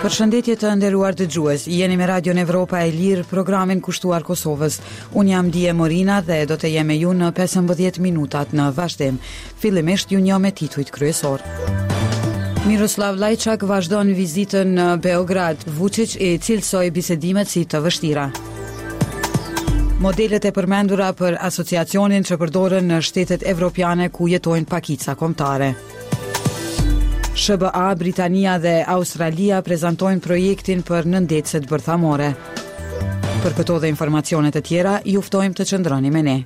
Përshëndetje të nderuar dëgjues, jeni me Radion Evropa e Lirë, programin kushtuar Kosovës. Unë jam Die Morina dhe do të jem me ju në 15 minutat në vazhdim. Fillimisht ju njoh me titujt kryesorë. Miroslav Lajçak vazhdon vizitën në Beograd. Vuçiq i cilësoi bisedimet si të vështira. Modelet e përmendura për asociacionin që përdoren në shtetet evropiane ku jetojnë pakica kombëtare. SHBA, Britania dhe Australia prezantojnë projektin për nëndetëset bërthamore. Për këto dhe informacione të tjera, ju ftojmë të qëndroni me ne.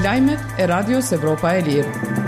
Lajmet e Radios Evropa e Lirë.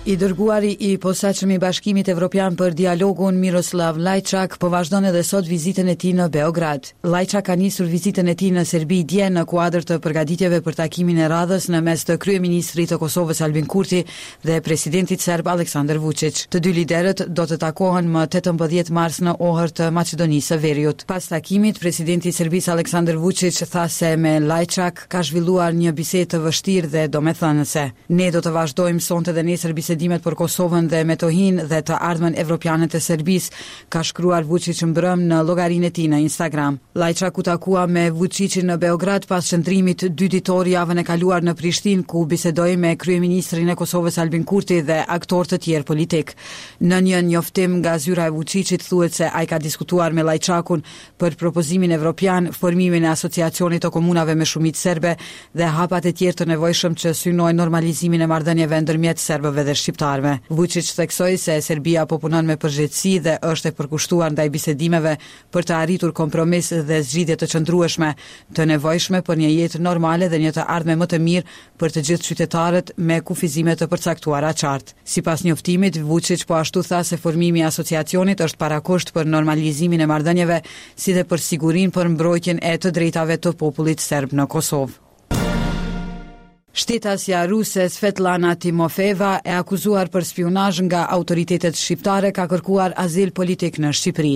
I dërguari i posaçëm i Bashkimit Evropian për dialogun Miroslav Lajçak po vazhdon edhe sot vizitën e tij në Beograd. Lajçak ka nisur vizitën e tij në Serbi dje në kuadër të përgatitjeve për takimin e radhës në mes të kryeministrit të Kosovës Albin Kurti dhe presidentit serb Aleksandër Vuçiq. Të dy liderët do të takohen më 18 mars në Ohër të Maqedonisë së Veriut. Pas takimit, presidenti i Serbisë Aleksandër Vuçiq tha se me Lajçak ka zhvilluar një bisedë të vështirë dhe domethënëse. Ne do të vazhdojmë sonte dhe nesër bisedimet për Kosovën dhe Metohinë dhe të ardhmen evropiane të Serbisë, ka shkruar Vuçiq mbrëmë në llogarinë e tij në Instagram. Lajçak u takua me Vuçiqin në Beograd pas qëndrimit dy ditor javën e kaluar në Prishtinë, ku bisedoi me kryeministrin e Kosovës Albin Kurti dhe aktorë të tjerë politikë. Në një njoftim nga zyra e Vuçiqit thuhet se ai ka diskutuar me Lajçakun për propozimin evropian, formimin e Asociacionit të Komunave me shumicë serbe dhe hapat e tjerë të nevojshëm që synojnë normalizimin e marrëdhënieve ndërmjet serbëve dhe shqiptarëve. Vuçiq theksoi se Serbia po punon me përgjegjësi dhe është e përkushtuar ndaj bisedimeve për të arritur kompromis dhe zgjidhje të qëndrueshme, të nevojshme për një jetë normale dhe një të ardhme më të mirë për të gjithë qytetarët me kufizime të përcaktuara qartë. Sipas njoftimit, Vuçiq po ashtu tha se formimi i Asociacionit është parakusht për normalizimin e marrëdhënieve si dhe për sigurinë për mbrojtjen e të drejtave të popullit serb në Kosovë. Shtetasja ruse Svetlana Timofeeva, e akuzuar për spiunazh nga autoritetet shqiptare, ka kërkuar azil politik në Shqipëri.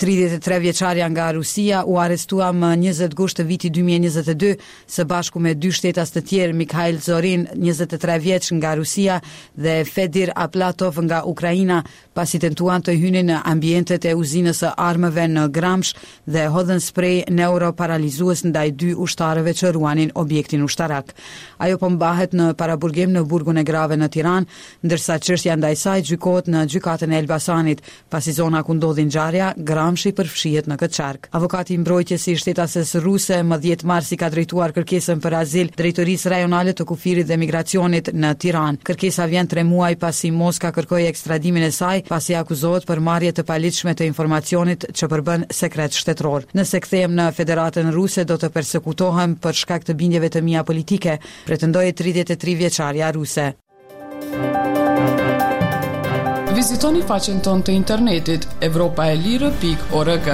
33 vjeçarja nga Rusia u arrestua më 20 gusht të vitit 2022 së bashku me dy shtetas të tjerë, Mikhail Zorin, 23 vjeç nga Rusia dhe Fedir Aplatov nga Ukraina, pasi tentuan të hynin në ambientet e uzinës së armëve në Gramsh dhe hodhën sprej neuroparalizues ndaj dy ushtarëve që ruanin objektin ushtarak. Ajo po mbahet në paraburgim në burgun e grave në Tiranë, ndërsa çështja ndaj saj gjykohet në gjykatën e Elbasanit, pasi zona ku ndodhi ngjarja, Gramshi përfshihet në këtë qark. Avokati i mbrojtjes i shtetases ruse më 10 mars i ka drejtuar kërkesën për azil Drejtorisë Rajonale të Kufirit dhe Migracionit në Tiranë. Kërkesa vjen tre muaj pasi Moska kërkoi ekstradimin e saj, pasi akuzohet për marrje të paligjshme të informacionit që përbën sekret shtetëror. Nëse kthehem në Federatën Ruse do të persekutohem për shkak të bindjeve të mia politike, pretendoi 33 vjeçarja ruse. Vizitoni faqen tonë të internetit evropaelire.org.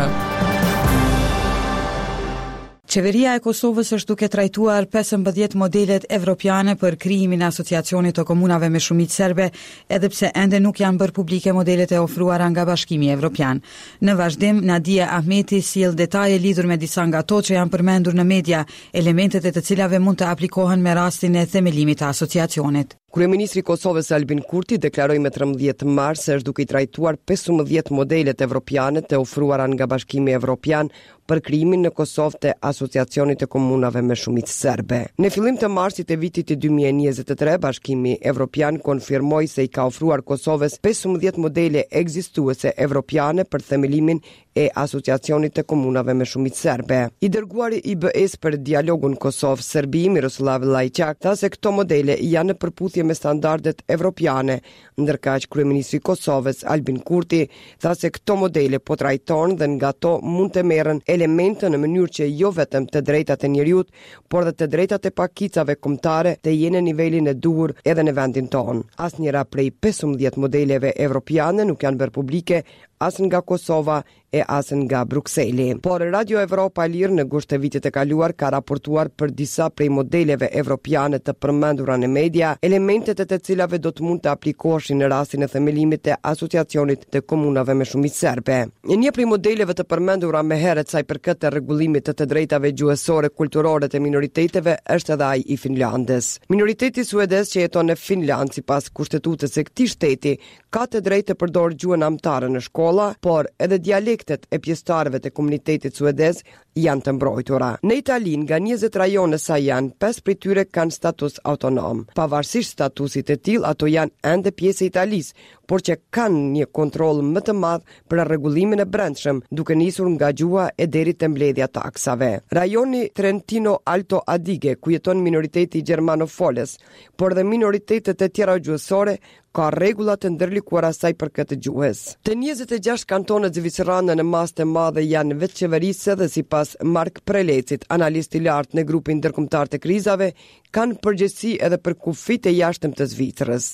Qeveria e Kosovës është duke trajtuar 15 modelet evropiane për krijimin e Asociacionit të Komunave me shumicë serbe, edhe pse ende nuk janë bërë publike modelet e ofruara nga Bashkimi Evropian. Në vazhdim, Nadie Ahmeti sjell detaje lidhur me disa nga ato që janë përmendur në media, elementet e të cilave mund të aplikohen me rastin e themelimit të asociacionit. Kryeministri i Kosovës Albin Kurti deklaroi më 13 mars se është duke i trajtuar 15 modelet evropiane të ofruara nga Bashkimi Evropian për krijimin në Kosovë të Asociacionit të Komunave me shumicë serbe. Në fillim të marsit të vitit 2023, Bashkimi Evropian konfirmoi se i ka ofruar Kosovës 15 modele ekzistuese evropiane për themelimin e Asociacionit të Komunave me shumicë serbe. I dërguari i BE-së për dialogun Kosovë-Serbi, Miroslav Lajçak, tha se këto modele janë në përputhje me standardet evropiane, ndërkaq kryeministri i Kosovës, Albin Kurti, tha se këto modele po trajtohen dhe nga to mund të merren elemente në mënyrë që jo vetëm të drejtat e njeriut, por dhe të drejtat e pakicave kombëtare të jenë në nivelin e duhur edhe në vendin tonë. Asnjëra prej 15 modeleve evropiane nuk janë bërë publike. as nga Kosova e as nga Brukseli. Por Radio Evropa e Lirë në gusht të vitit të kaluar ka raportuar për disa prej modeleve evropiane të përmendura në media, elementet e të cilave do të mund të aplikoheshin në rastin e themelimit të Asociacionit të Komunave me Shumicë Serbe. Një prej modeleve të përmendura më herët sa i përket të rregullimit të të drejtave gjuhësore kulturore të minoriteteve është edhe ai i Finlandës. Minoriteti suedez që jeton në Finlandë sipas kushtetutës së këtij shteti ka të drejtë të përdorë gjuhën amtare në shkolla, por edhe dialektet e pjesëtarëve të komunitetit suedez janë të mbrojtura. Në Itali, nga 20 rajone sa janë, 5 prej tyre kanë status autonom. Pavarësisht statusit të tillë, ato janë ende pjesë e Italisë, por që kanë një kontroll më të madh për rregullimin e brendshëm, duke nisur nga gjuha e deri te mbledhja e taksave. Rajoni Trentino Alto Adige, ku jeton minoriteti gjermanofolës, por dhe minoritetet e tjera gjuhësore, ka rregulla të ndërlikuara sa i përket gjuhës. Të 26 kantonet zvicerane në masë të madhe janë vetëqeverisëse dhe sipas Mark Prelecit, analist i lartë në grupin ndërkombëtar të krizave, kanë përgjegjësi edhe për kufijtë e jashtëm të Zvicrës.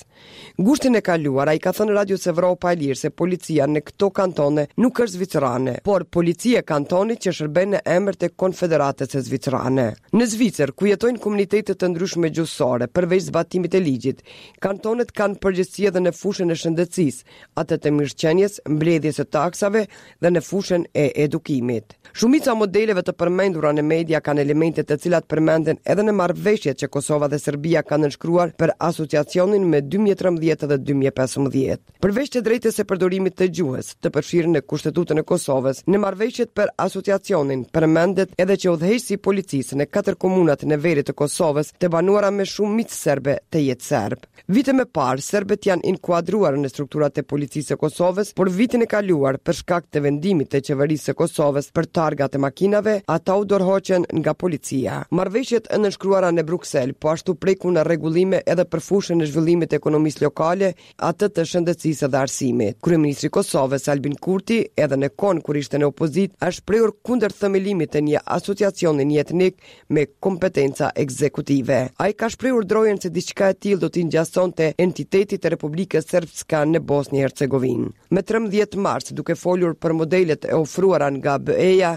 Gushtin e kaluar ai ka thënë Radios Evropa e Lirë se policia në këto kantone nuk është zvicerane, por policia e kantonit që shërben në emër të Konfederatës Zvicerane. Në Zvicër, ku jetojnë komunitete të ndryshme gjuhësore, përveç zbatimit të ligjit, Kantonet kanë përgjegjësi edhe në fushën e shëndetësisë, atë të mirëqenies, mbledhjes së taksave dhe në fushën e edukimit. Shumica e modeleve të përmendura në media kanë elemente të cilat përmenden edhe në marrëveshjet që Kosova dhe Serbia kanë nënshkruar për asociacionin më 2013 dhe 2015. Përveç të drejtës së përdorimit të gjuhës, të përfshirë në Kushtetutën e Kosovës, në marrëveshjet për asociacionin përmendet edhe që udhëheqësi i policisë në katër komunat në veri të Kosovës, të banuara me shumicë serbe, të jetë serb. Vite më parë, serbët janë inkuadruar në strukturat e policisë së Kosovës, por vitin e kaluar, për shkak të vendimit të qeverisë së Kosovës për targat e makinave, ata u dorëhoqën nga policia. Marrëveshjet e nënshkruara në Bruksel po ashtu prekun rregullime edhe për fushën e zhvillimit të ekonomisë lokale, atë të shëndetësisë dhe arsimit. Kryeministri i Kosovës, Albin Kurti, edhe në kohën kur ishte në opozitë, është shprehur kundër themelimit të një asociacioni njëetnik me kompetenca ekzekutive. Ai ka shprehur drojën se diçka e tillë do t'i ngjasonte entitetit të Republikës Srpska në Bosnjë e Hercegovinë. Më 13 mars, duke folur për modelet e ofruara nga BE-ja,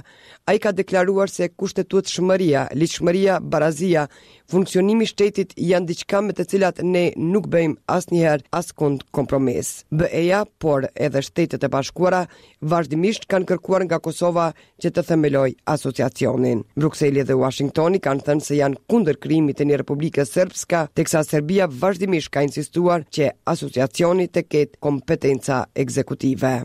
ai ka deklaruar se kushtetutshmëria, ligjshmëria, barazia, Funksionimi i shtetit janë diçka me të cilat ne nuk bëjmë asnjëherë askund kompromis. BE-ja, por edhe Shtetet e Bashkuara, vazhdimisht kanë kërkuar nga Kosova që të themelojë asociacionin. Brukseli dhe Uashingtoni kanë thënë se janë kundër krijimit të një Republike Srpska, teksa Serbia vazhdimisht ka insistuar që asociacioni të ketë kompetenca ekzekutive.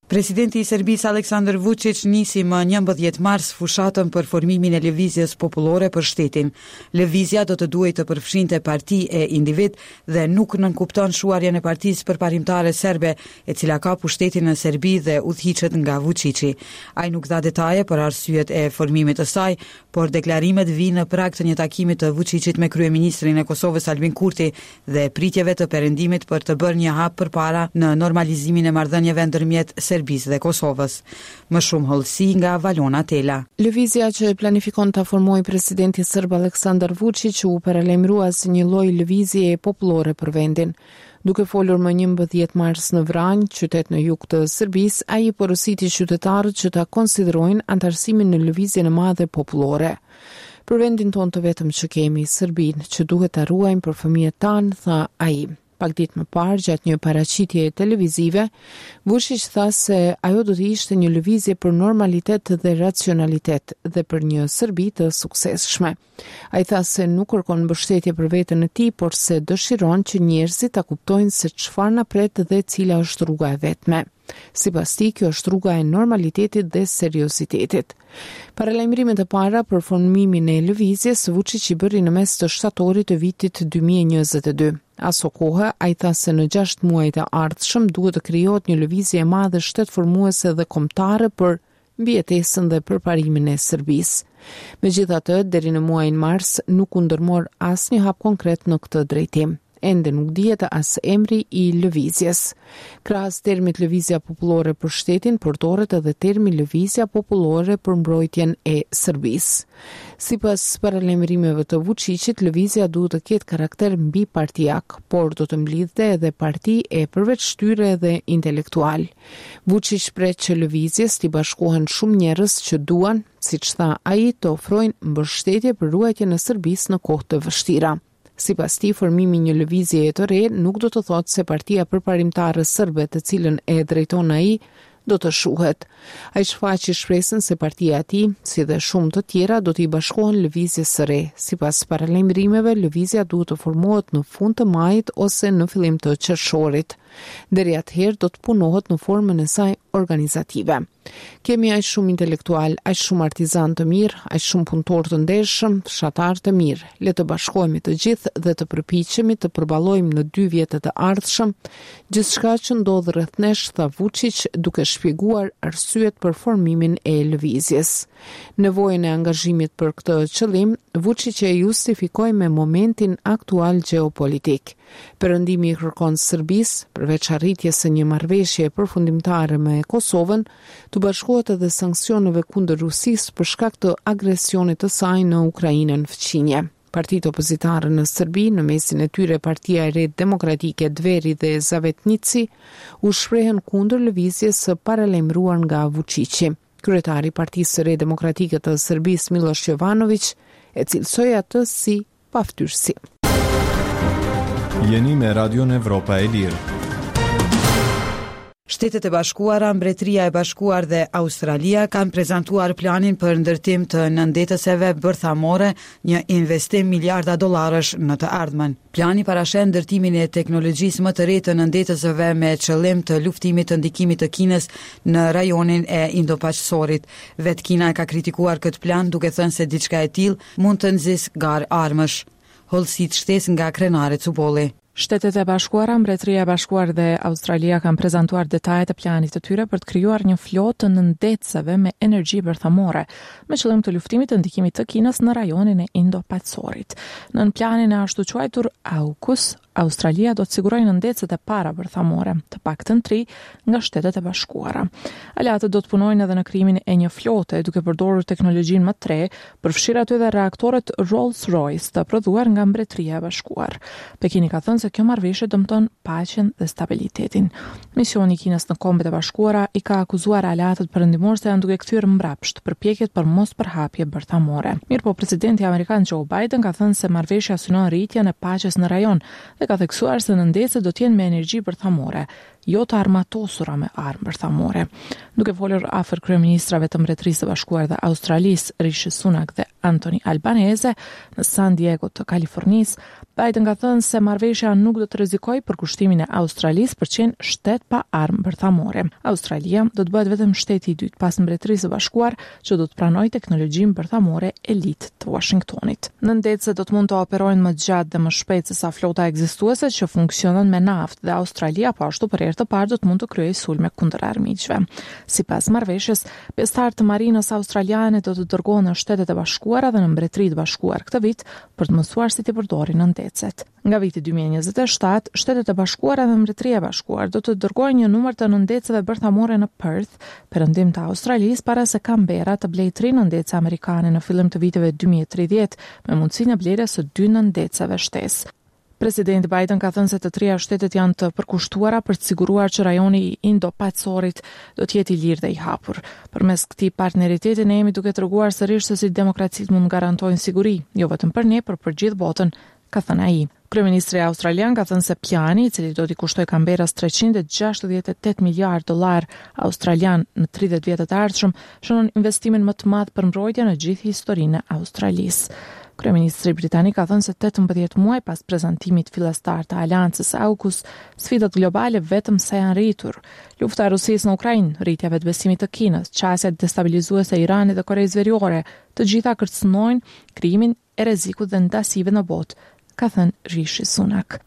Presidenti i Serbisë Aleksandar Vuçiq nisi më 11 mars fushatën për formimin e Lëvizjes Popullore për shtetin. Lëvizja do të duhej të përfshinte parti e individë dhe nuk nënkupton shuarjen e Partisë Përparimtare Serbe, e cila ka pushtetin në Serbi dhe udhëhiqet nga Vuçiqi. Ai nuk dha detaje për arsyet e formimit të saj, por deklarimet vijnë në prag të një takimi të Vuçiqit me kryeministrin e Kosovës Albin Kurti dhe pritjeve të Perëndimit për të bërë një hap përpara në normalizimin e marrëdhënieve ndërmjet Serbisë dhe Kosovës. Më shumë hollësi nga Valona Tela. Lëvizja që planifikon ta formojë presidenti serb Aleksandar Vuçiq u paralajmërua si një lloj lëvizjeje popullore për vendin. Duke folur më 11 mars në Vranjë, qytet në jug të Serbisë, ai i porositi qytetarët që ta konsiderojnë anëtarësimin në lëvizjen e madhe popullore. Për vendin tonë të vetëm që kemi, Serbinë, që duhet ta ruajmë për fëmijët tanë, tha ai. Pak ditë më parë, gjatë një paraqitjeje televizive, Vuçiq tha se ajo do të ishte një lëvizje për normalitet dhe racionalitet dhe për një Serbi të suksesshme. Ai tha se nuk kërkon mbështetje për veten e tij, por se dëshiron që njerëzit ta kuptojnë se çfarë na pret dhe cila është rruga e vetme. Sipas tij, kjo është rruga e normalitetit dhe seriozitetit. Paralajmërimet e para për formimin e lëvizjes, Vuçiq i bëri në mes të shtatorit të vitit 2022. Asokohe, ai tha se në 6 muajt e ardhshëm duhet të krijohet një lëvizje e madhe shtetformuese dhe kombëtare për mbijetesën dhe përparimin e Serbisë. Megjithatë, deri në muajin mars nuk u ndërmor asnjë hap konkret në këtë drejtim. Ende nuk dihet as emri i lëvizjes. Krahas termit Lëvizja Popullore për Shtetin, përdoret edhe termi Lëvizja Popullore për Mbrojtjen e Serbisë. Sipas paralajmërimeve të Vuçiqit, lëvizja duhet të ketë karakter mbipartiak, por do të mblidhte edhe parti e përveç tyre edhe intelektualë. Vuçiq pret që lëvizjes t'i bashkohen shumë njerëz që duan, siç tha ai, të ofrojnë mbështetje për ruajtjen e Serbisë në kohë të vështira. Sipas tij, formimi i një lëvizjeje të re nuk do të thotë se Partia Përparimtare Serbe, të cilën e drejton ai, do të shuhet. Ai shfaqi shpresën se partia e tij, si dhe shumë të tjera, do t'i bashkohen lëvizjes së re. Sipas paralajmërimeve, lëvizja duhet të formohet në fund të majit ose në fillim të qershorit. Deri atëherë do të punohet në formën e saj organizative. Kemi aq shumë intelektualë, aq shumë artizanë të mirë, aq shumë punëtorë të ndershëm, fshatarë të mirë. Le të bashkohemi të gjithë dhe të përpiqemi të përballojmë në dy vjetët e ardhshëm gjithçka që ndodh rreth nesh, tha Vuçiq, duke shpjeguar arsyet për formimin e lëvizjes. Nevojën e angazhimit për këtë qëllim, Vuçiq e justifikoi me momentin aktual gjeopolitik. Perëndimi i kërkon Serbisë, përveç arritjes së një marrëveshjeje përfundimtare me Kosovën, t'u bashkohet edhe sanksioneve kundër Rusisë për shkak të agresionit të saj në Ukrainën fqinje. Partitë opozitare në Serbi, në mesin e tyre Partia e Re Demokratike Dveri dhe Zavetnici, u shprehën kundër lëvizjes së paralajmëruar nga Vuçiqi. Kryetari i Partisë së Re Demokratike të Serbisë, Millosh Jovanoviq, e cilësoi atë si paftyrësi. Jeni me Radion Evropa e Lirë. Shtetet e Bashkuara, Mbretëria e Bashkuar dhe Australia kanë prezantuar planin për ndërtim të nëndetëseve bërthamore, një investim miliarda dollarësh në të ardhmen. Plani parasheh ndërtimin e teknologjisë më të re të nëndetëseve me qëllim të luftimit të ndikimit të Kinës në rajonin e Indo-Paqësorit. Vetë Kina e ka kritikuar këtë plan duke thënë se diçka e tillë mund të nxisë garë armësh. Hollësitë shtesë nga Krenare Cubolli. Shtetet e Bashkuara, Mbretëria e Bashkuar dhe Australia kanë prezantuar detajet e planit të tyre për të krijuar një flotë të nëndetëseve me energji bërthamore, me qëllim të luftimit të ndikimit të Kinës në rajonin e Indo-Paqësorit. Nën planin e ashtuquajtur AUKUS, Australia do të sigurojë nëndetëset e para bërthamore, të paktën tri, nga Shtetet e Bashkuara. Aleatët do të punojnë edhe në krijimin e një flote, duke përdorur teknologjinë më të re, përfshirë aty edhe reaktorët Rolls-Royce të prodhuar nga Mbretëria e Bashkuar. Pekini ka thënë se kjo marrëveshje dëmton paqen dhe stabilitetin. Misioni i Kinës në Kombet e Bashkuara i ka akuzuar aleatët perëndimorë se janë duke kthyer mbrapsht përpjekjet për mospërhapje bërthamore. Mirëpo, presidenti amerikan Joe Biden ka thënë se marrëveshja synon rritjen e paqes në rajon dhe ka theksuar se nëndetëset do të jenë me energji bërthamore, jo të armatosura me armë bërthamore. Duke folur afër kryeministrave të Mbretërisë së Bashkuar dhe Australisë, Rishi Sunak dhe Anthony Albanese, në San Diego të Kalifornisë, Biden ka thënë se marrëveshja nuk do të rrezikojë përkushtimin e Australisë për të qenë shtet pa armë bërthamore. Australia do të bëhet vetëm shteti i dytë pas Mbretërisë së Bashkuar që do të pranojë teknologjinë bërthamore elitë të Uashingtonit. Nëndetëset do të mund të operojnë më gjatë dhe më shpejt sesa flota ekzistuese që funksionon me naftë dhe Australia po ashtu për herë të parë do të mund të kryejë sulme kundër armiqve. Sipas marrëveshjes, pjesëtarë të marinës australiane do të dërgohen në Shtetet e Bashkuara dhe në Mbretëri të Bashkuar këtë vit për të mësuar si t'i përdorin nëndetëset. Nga viti 2027, Shtetet e Bashkuara dhe Mbretëria e Bashkuar do të dërgojnë një numër të nëndetëseve bërthamore në Perth, perëndim të Australisë, para se Canberra të blejë tri nëndetëse amerikane në fillim të viteve 2030, me mundësinë e blerjes së dy nëndetëseve shtesë. Presidenti Biden ka thënë se të tria shtetet janë të përkushtuara për të siguruar që rajoni i Indo-Paqësorit do të jetë i lirë dhe i hapur. Përmes këtij partneriteti ne jemi duke treguar sërish se si demokracitë mund të garantojnë siguri, jo vetëm për ne, por për gjithë botën, ka thënë ai. Kryeministri australian ka thënë se plani, i cili do t'i kushtojë Canberras 368 miliardë dollarë australian në 30 vjetët e ardhshëm, shënon investimin më të madh për mbrojtje në gjithë historinë e Australisë. Kryeministri britanik ka thënë se 18 muaj pas prezantimit fillestar të aleancës AUKUS, sfidat globale vetëm sa janë rritur. Lufta e Rusisë në Ukrainë, rritja e vetëbesimit të Kinës, qasja destabilizuese e Iranit dhe Koresë Veriore, të gjitha kërcënojnë krijimin e rrezikut dhe ndasive në botë, ka thënë Rishi Sunak.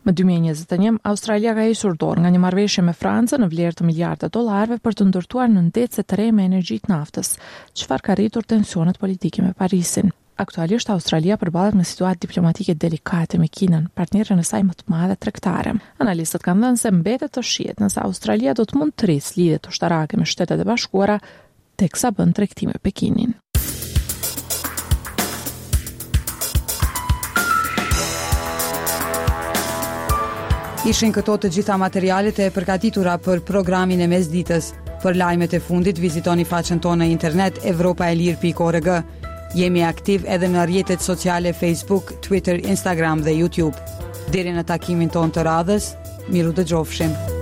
Më 2021, Australia ka hequr dorë nga një marrëveshje me Francën në vlerë të miliarda dollarëve për të ndërtuar nëndetëse të re me energji të naftës, çfarë ka rritur tensionet politike me Parisin. Aktualisht Australia përballet me situatë diplomatike delikate me Kinën, partneren e saj më të madhe tregtare. Analistët kanë thënë se mbetet të shihet nëse Australia do të mund të rrisë lidhjet ushtarake me Shtetet e Bashkuara teksa bën tregti me Pekinin. Ishin këto të gjitha materialet e përgatitura për programin e mesditës. Për lajmet e fundit vizitoni faqen tonë në internet evropaelire.org. Jemi aktiv edhe në rrjetet sociale Facebook, Twitter, Instagram dhe YouTube. Deri në takimin tonë të radhës, mirudëgjofshim.